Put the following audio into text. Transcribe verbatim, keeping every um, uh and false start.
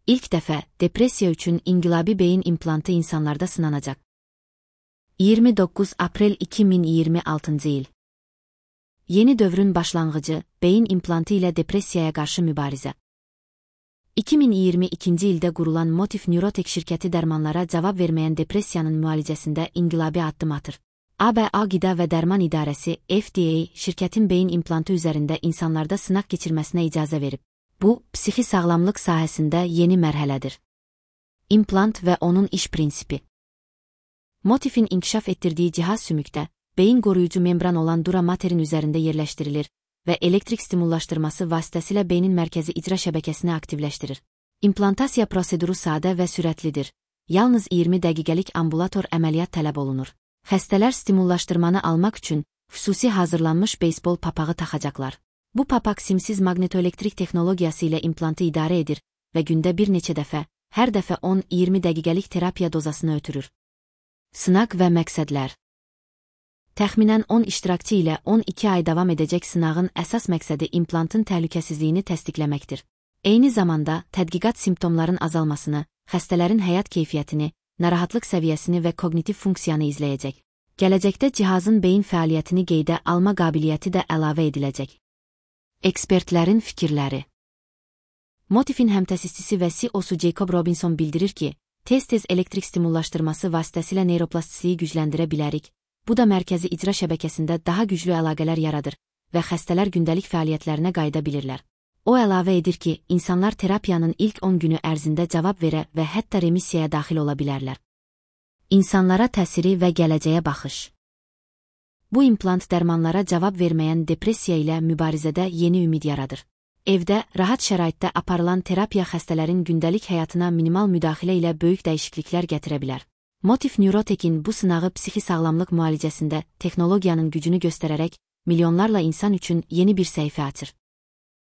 İlk dəfə depressiya üçün inqilabi beyin implantı insanlarda sınanacaq. iyirmi doqquz aprel iki min iyirmi altıncı il. Yeni dövrün başlanğıcı, beyin implantı ilə depressiyaya qarşı mübarizə. iki min iyirmi ikinci ildə qurulan Motif Neurotech şirkəti dərmanlara cavab verməyən depressiyanın müalicəsində inqilabi addım atır. A B A Qida və Dərman İdarəsi F D A şirkətin beyin implantı üzərində insanlarda sınaq keçirməsinə icazə verib. Bu, psixi sağlamlıq sahəsində yeni mərhələdir. İmplant və onun iş prinsipi. Motifin inkişaf etdirdiyi cihaz sümükdə, beyin qoruyucu membran olan dura materin üzərində yerləşdirilir və elektrik stimullaşdırması vasitəsilə beynin mərkəzi icra şəbəkəsini aktivləşdirir. İmplantasiya proseduru sadə və sürətlidir. Yalnız iyirmi dəqiqəlik ambulator əməliyyat tələb olunur. Xəstələr stimullaşdırmanı almaq üçün xüsusi hazırlanmış beysbol papağı taxacaqlar. Bu papaq simsiz maqnetoelektrik texnologiyası ilə implantı idarə edir və gündə bir neçə dəfə, hər dəfə on iyirmi dəqiqəlik terapiya dozasını ötürür. Sınaq və məqsədlər. Təxminən on iştirakçı ilə on iki ay davam edəcək sınağın əsas məqsədi implantın təhlükəsizliyini təsdiqləməkdir. Eyni zamanda, tədqiqat simptomların azalmasını, xəstələrin həyat keyfiyyətini, narahatlıq səviyyəsini və kognitiv funksiyanı izləyəcək. Gələcəkdə cihazın beyin fəaliyyətini qeydə alma qabiliyyəti də əlavə ediləcək. Ekspertlərin fikirləri. Motifin həmtəsisçisi və C E O-su Jacob Robinson bildirir ki, tez-tez elektrik stimullaşdırması vasitəsilə neyroplastisliyi gücləndirə bilərik. Bu da mərkəzi icra şəbəkəsində daha güclü əlaqələr yaradır və xəstələr gündəlik fəaliyyətlərinə qayıda bilirlər. O əlavə edir ki, insanlar terapiyanın ilk on günü ərzində cavab verə və hətta remissiyaya daxil ola bilərlər. İnsanlara təsiri və gələcəyə baxış. Bu implant dərmanlara cavab verməyən depressiya ilə mübarizədə yeni ümid yaradır. Evdə, rahat şəraitdə aparılan terapiya xəstələrin gündəlik həyatına minimal müdaxilə ilə böyük dəyişikliklər gətirə bilər. Motif Neurotech'in bu sınağı psixi sağlamlıq müalicəsində texnologiyanın gücünü göstərərək milyonlarla insan üçün yeni bir səhifə açır.